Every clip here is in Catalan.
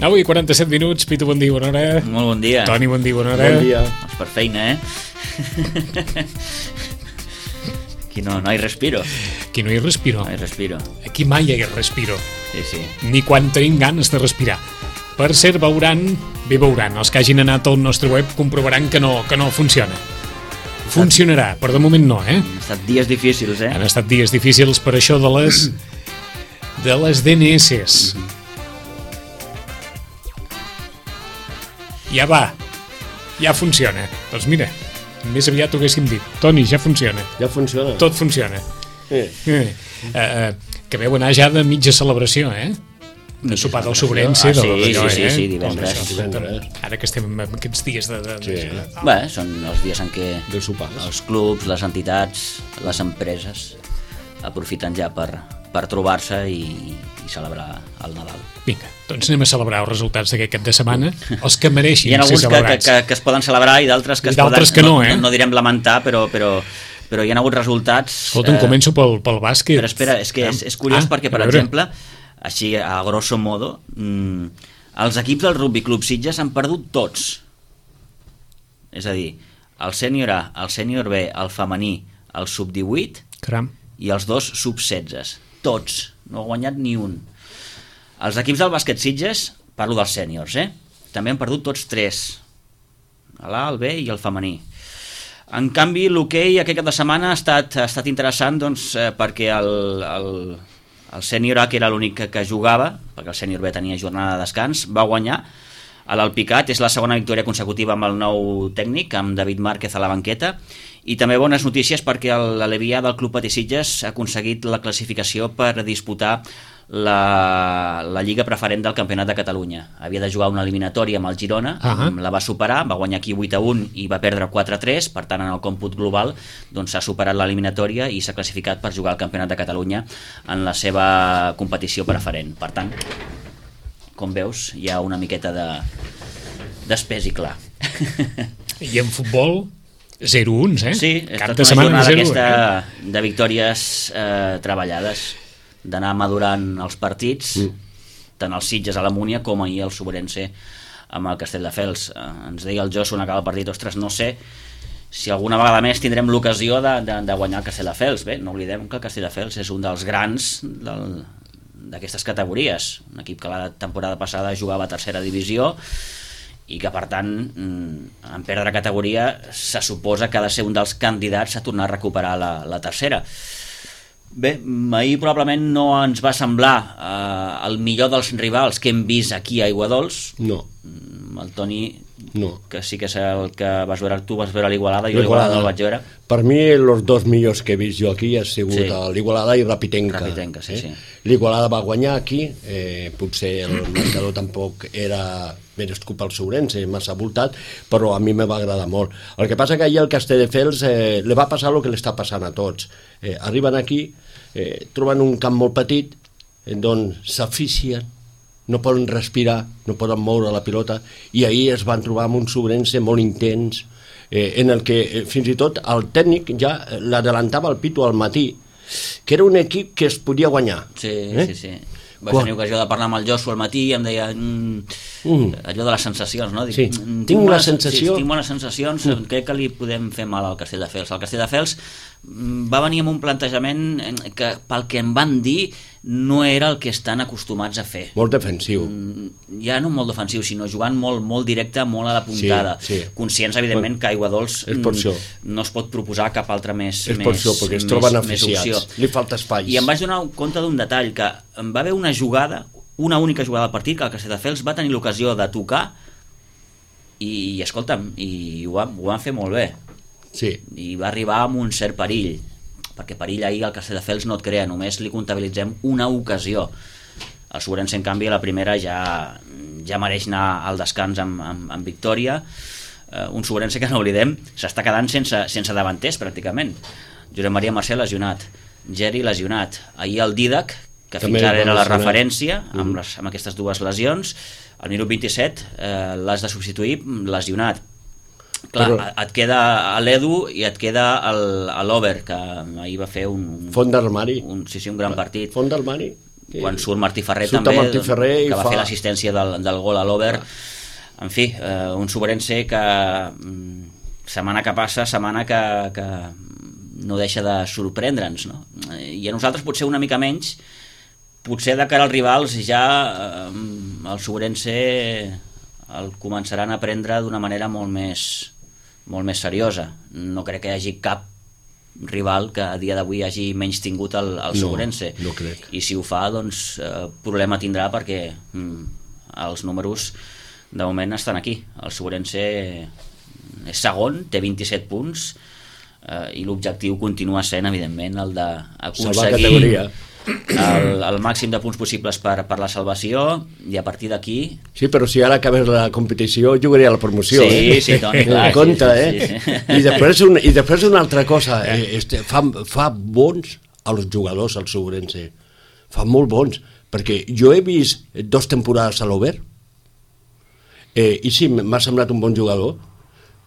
Avui 47 minuts, Pitu, bon dia, bona hora. Molt bon dia. Toni, bon dia, bona hora. Bon dia. Per feina, Aquí no hi respiro. Aquí no hi respiro. No hi respiro. Aquí mai hi respiro. Sí. Ni quan tenim ganes de respirar. Per cert, veuran, els que hagin anat al nostre web comprovaran que no funciona. Funcionarà, però de moment no, Han estat dies difícils, Han estat dies difícils per això de les DNS. Ja va, ja funciona. Doncs mira, més aviat ho haguéssim dit. Toni, ja funciona. Ja funciona. Tot funciona. Que veu anar ja de mitja celebració, de sopar del Sobrense. Sí, divendres. Ara que estem en aquests dies Bé, són els dies en què de sopars. Els clubs, les entitats, les empreses aprofiten ja per trobar-se i celebrar el Nadal. Vinga, doncs anem a celebrar els resultats d'aquest cap de setmana, els que mereixin ser celebrats. Hi ha alguns que es poden celebrar i d'altres que no direm lamentar, però hi ha hagut resultats... Escolta, començo pel bàsquet. Però espera, és que és curiós perquè, per exemple, així a grosso modo, els equips del Rugby Club Sitges han perdut tots. És a dir, el sènior A, el sènior B, el femení, el sub-18 i els dos sub-16. Tots. No ha guanyat ni un. Els equips del bàsquet Sitges, parlo dels sèniors, també han perdut tots 3. L'A, el B i el femení. En canvi, l'hoquei aquest cap de setmana ha estat interessant perquè el sènior A, que era l'únic que jugava, perquè el sènior B tenia jornada de descans, va guanyar. A l'Alpicat és la segona victòria consecutiva amb el nou tècnic, amb David Márquez a la banqueta, i també bones notícies perquè l'Alevià del Club Patí Sitges ha aconseguit la classificació per disputar la Lliga Preferent del Campionat de Catalunya. Havia de jugar una eliminatòria amb el Girona, la va superar, va guanyar aquí 8-1 i va perdre 4-3, per tant en el còmput global s'ha superat l'eliminatòria i s'ha classificat per jugar al Campionat de Catalunya en la seva competició preferent. Per tant, com veus, hi ha una miqueta d'espès i clar. I en futbol, 0-1, Sí, cap de setmana d'aquesta de victòries treballades, d'anar madurant els partits, tant els Sitges a la Múnia com ahir el Sobrense amb el Castelldefels. Ens deia el Josu en acabar el partit, ostres, no sé si alguna vegada més tindrem l'ocasió de guanyar el Castelldefels. Bé, no oblidem que el Castelldefels és un dels grans d'aquestes categories, un equip que la temporada passada jugava a tercera divisió i que per tant en perdre categoria se suposa que ha de ser un dels candidats a tornar a recuperar la tercera. Bé, ahir probablement no ens va semblar el millor dels rivals que hem vist aquí a Aiguadols. No. El Toni, no. Que sí que és el que vas veure, tu vas veure l'Igualada, jo l'Igualada no el vaig veure. Per mi els dos millors que he vist jo aquí ha sigut l'Igualada i Rapitenca. Rapitenca, sí. L'Igualada va guanyar aquí, potser el marcador tampoc era merescut pel Sobrense, massa voltat, però a mi me va agradar molt. El que passa que ahir el Castelldefels li va passar el que li està passant a tots. Arriben aquí, troben un camp molt petit, on s'aficien, no poden respirar, no poden moure la pilota, i ahir es van trobar amb un Sobrense molt intens, en el que fins i tot el tècnic ja l'adelantava el Pitu al matí, que era un equip que es podia guanyar. Sí. Vaig tenir ocasió de parlar amb el Josu al matí i em deia allò de les sensacions, no? Dic, tinc la sensació... Tinc bones sensacions, crec que li podem fer mal al Castelldefels. El Castelldefels va venir amb un plantejament que pel que em van dir no era el que estan acostumats a fer. Molt defensiu. Ja no molt defensiu, sinó jugant molt directe, molt a la puntada. Conscients, evidentment, que Aiguadols no es pot proposar cap altre més opció. És per això, perquè es troben aficiats. Li falta espai. I em vaig donar compte d'un detall, que em va haver una jugada, una única jugada del partit, que el Castelldefels va tenir l'ocasió de tocar i escolta'm, i ho van fer molt bé. Sí. I va arribar amb un cert perill, perquè perill ahir el Castelldefels no et crea, només li comptabilitzem una ocasió. El Sobrense, en canvi, a la primera ja mereix anar al descans amb victòria. un Sobrense que no oblidem, s'està quedant sense davanters pràcticament. Josep Maria Mercè lesionat, Geri lesionat, ahir el Dídac, que fins ara era la referència amb aquestes dues lesions, al minut 27 l'has de substituir lesionat. Clar, et queda l'Edu i et queda l'Over, que ahir va fer un font d'armari, un gran partit. Font d'armari. Quan surt Martí Ferrer també, que va fer l'assistència del gol a l'Over. En fi, un Sobrense que setmana que passa, setmana que no deixa de sorprendre'ns, no? I a nosaltres potser una mica menys, potser de cara als rivals ja el Sobrense el començaran a prendre d'una manera molt més seriosa. No crec que hi hagi cap rival que a dia d'avui hagi menys tingut el Sobrense. No crec. I si ho fa, doncs problema tindrà, perquè els números de moment estan aquí. El Sobrense és segon, té 27 punts, i l'objectiu continua sent, evidentment, el d'aconseguir el màxim de punts possibles per la salvació, i a partir d'aquí... Sí, però si ara acabés la competició jugaria a la promoció. Sí, Toni, clar. Compte, I després una altra cosa, fa bons als jugadors, al Sobrense. Fa molt bons, perquè jo he vist 2 temporades a l'Over, i sí, m'ha semblat un bon jugador,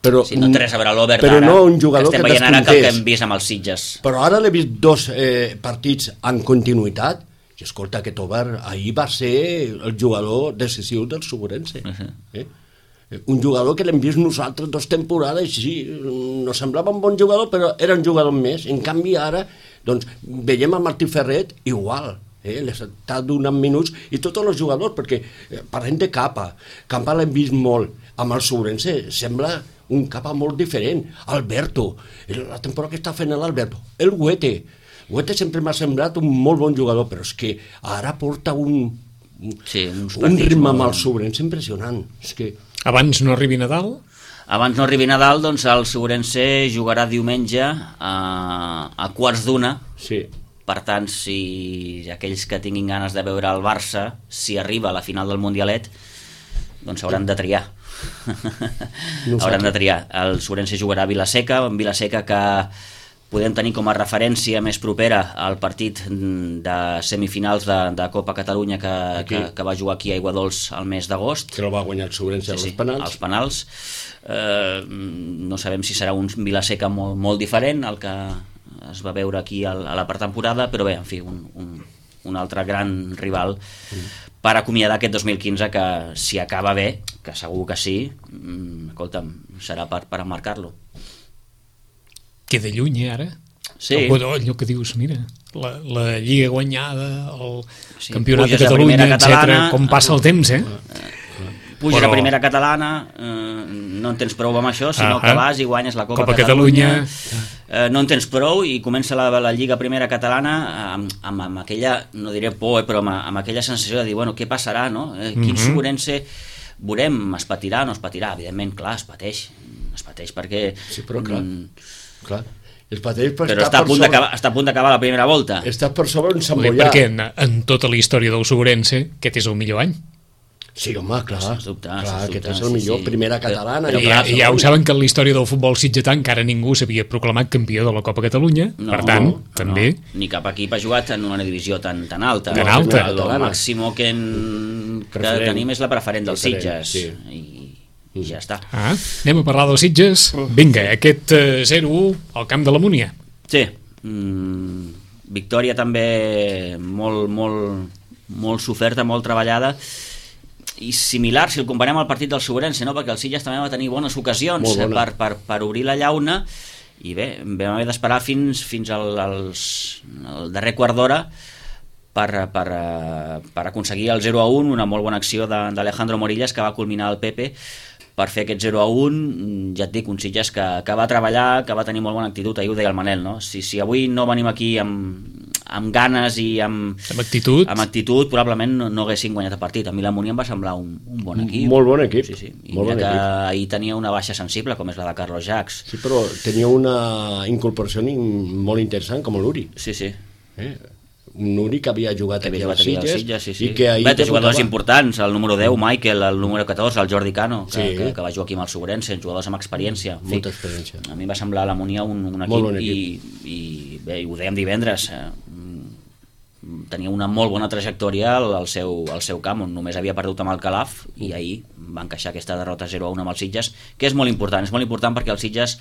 però no té res a veure l'Over d'ara, no un jugador que estem veient ara que el que hem vist amb els Sitges. Però ara l'he vist 2 partits en continuïtat, i escolta, aquest Over ahir va ser el jugador decisiu del Sobrense. Un jugador que l'hem vist nosaltres 2 temporades, sí, no semblava un bon jugador, però era un jugador més. En canvi ara, doncs, veiem a Martí Ferret igual, li està donant minuts, i tots els jugadors, perquè parlem de Capa l'hem vist molt, amb el Sobrense sembla un Capa molt diferent. Alberto, la temporada que està fent l'Alberto, el Huete sempre m'ha semblat un molt bon jugador, però és que ara porta un ritme amb el Sobrense impressionant. És que... Abans no arribi Nadal? Abans no arribi Nadal, doncs el Sobrense jugarà diumenge a quarts d'una. Sí. Per tant, si aquells que tinguin ganes de veure el Barça, si arriba a la final del Mundialet, doncs hauran de triar. Hauran de triar. El Sobrense jugarà a Vila-seca, en Vila-seca, que podem tenir com a referència més propera al partit de semifinals de Copa Catalunya que va jugar aquí a Aiguadols al mes d'agost, que el va guanyar el Sobrense als penals. Als penals. No sabem si serà un Vila-seca molt diferent al que es va veure aquí a la pretemporada, però bé, en fi, un altre gran rival per acomiadar aquest 2015, que si acaba bé, que segur que sí, escolta'm, serà per emmarcar-lo. Queda lluny, ara? Sí. Allò que dius, mira, la Lliga guanyada, el Campionat de Catalunya, etc. Com passa el temps, Puja a primera catalana, no en tens prou amb això, sinó que vas i guanyes la Copa Catalunya. No en tens prou i comença la Lliga Primera Catalana amb aquella, no diré por, però amb aquella sensació de dir, bueno, què passarà, no? Quin Sobrense veurem, es patirà o no es patirà? Evidentment, clar, es pateix perquè... Sí, però clar. Però està a punt d'acabar la primera volta. Està per sobre un s'embollar. Perquè en tota la història del Sobrense, aquest és el millor any. Sí, home, clar. Sens dubte, aquest és el millor, primera catalana. I ja ho saben que en la història del futbol sitgetà encara ningú s'havia proclamat campió de la Copa Catalunya, per tant, també... Ni cap equip ha jugat en una divisió tan alta. Tan alta. El màxim que tenim és la preferent dels Sitges. I ja està. Anem a parlar dels Sitges. Vinga, aquest 0-1 al camp de la Múnia. Sí, victòria també molt soferta, molt treballada, i similar si el comparem al partit del Sobrense, no? Perquè el Sitges també va tenir bones ocasions per obrir la llauna, i bé, vam haver d'esperar fins al darrer quart d'hora per aconseguir el 0-1, una molt bona acció d'Alejandro Morillas, que va culminar el Pepe per fer aquest 0-1. Ja et dic, un Sitges que va treballar, que va tenir molt bona actitud. Ahir ho deia el Manel, no? Si avui no venim aquí amb ganes i amb actitud, probablement no haguessin guanyat el partit. A mi la Múnia em va semblar un bon equip. Molt bon equip. Sí. I mira que ahir tenia una baixa sensible, com és la de Carlos Jacques. Sí, però tenia una incorporació molt interessant, com l'Uri. Sí. un únic que havia jugat aquí als Sitges, sí. I que ahir té jugadors importants, el número 10, Michael, el número 14, el Jordi Cano, que va jugar aquí amb el Segurense, jugadors amb experiència. Molta experiència. A mi va semblar l'Harmonia un equip, i bé, ho dèiem divendres, tenia una molt bona trajectòria al seu camp, on només havia perdut amb el Calaf, i ahir va encaixar aquesta derrota 0-1 amb els Sitges, que és molt important perquè els Sitges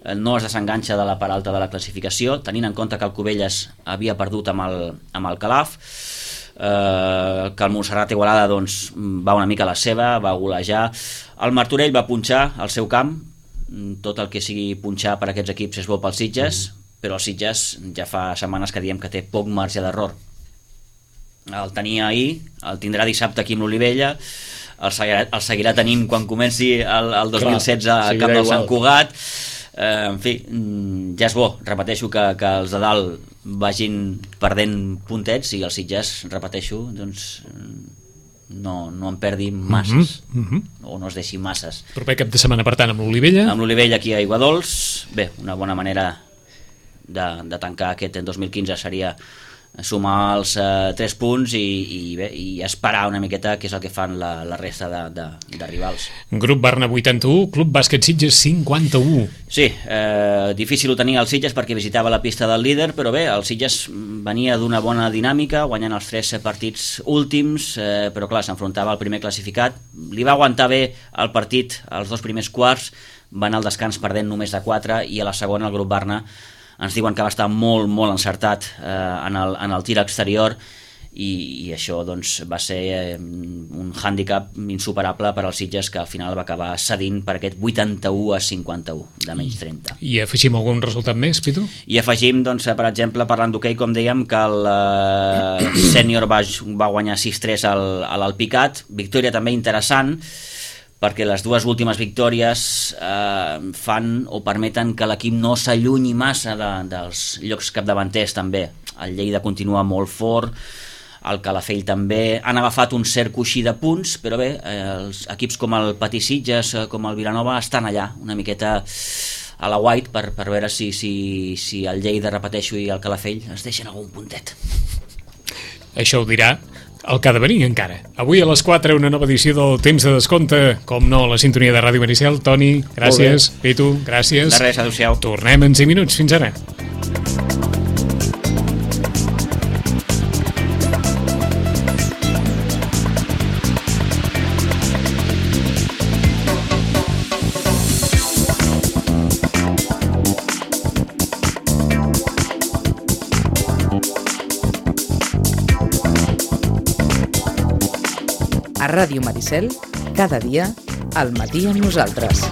no es desenganxa de la part alta de la classificació, tenint en compte que el Cubelles havia perdut amb el Calaf, que el Montserrat Igualada doncs, va una mica a la seva, va golejar, el Martorell va punxar al seu camp, tot el que sigui punxar per aquests equips és bo pels Sitges, però els Sitges ja fa setmanes que diem que té poc marge d'error. El tenia ahir, el tindrà dissabte aquí amb l'Olivella, el seguirà tenint quan comenci el 2016 al camp del Sant Cugat. En fi, ja és bo, repeteixo, que els de dalt vagin perdent puntets i els Sitges, repeteixo, doncs no en perdi masses, o no es deixi masses. Proper cap de setmana, per tant, amb l'Olivella. Amb l'Olivella aquí a Aiguadols, bé, una bona manera de tancar aquest 2015 seria sumar els 3 punts i esperar una miqueta què és el que fan la resta de rivals. Grup Barna 81, Club Bàsquet Sitges 51. Sí, difícil ho tenia el Sitges perquè visitava la pista del líder, però bé, el Sitges venia d'una bona dinàmica, guanyant els 3 partits últims, però clar, s'enfrontava al primer classificat, li va aguantar bé el partit als 2 primers quarts, va anar al descans perdent només de 4, i a la segona el grup Barna ens diuen que va estar molt, molt encertat en el tir exterior, i això doncs, va ser un hàndicap insuperable per als Sitges, que al final va acabar cedint per aquest 81-51 de menys 30. I afegim algun resultat més, Pitu? I afegim, doncs, per exemple, parlant d'hoquei, com dèiem, que el sènior va guanyar 6-3 a l'Alpicat, victòria també interessant, perquè les 2 últimes victòries fan o permeten que l'equip no s'allunyi massa dels llocs capdavanters també. El Lleida continua molt fort, el Calafell també, han agafat un cert coixí de punts, però bé, els equips com el Patí Sitges, com el Vilanova, estan allà una miqueta a la white per veure si el Lleida, repeteixo, i el Calafell es deixen algun puntet. Això ho dirà el que ha de venir encara. Avui a les 4 una nova edició del Temps de Descompte, com no, la sintonia de Ràdio Maricel. Toni, gràcies. Pitu, gràcies. De res, adéu-siau. Tornem en 5 minuts. Fins ara. A Ràdio Maricel, cada dia, al matí amb nosaltres.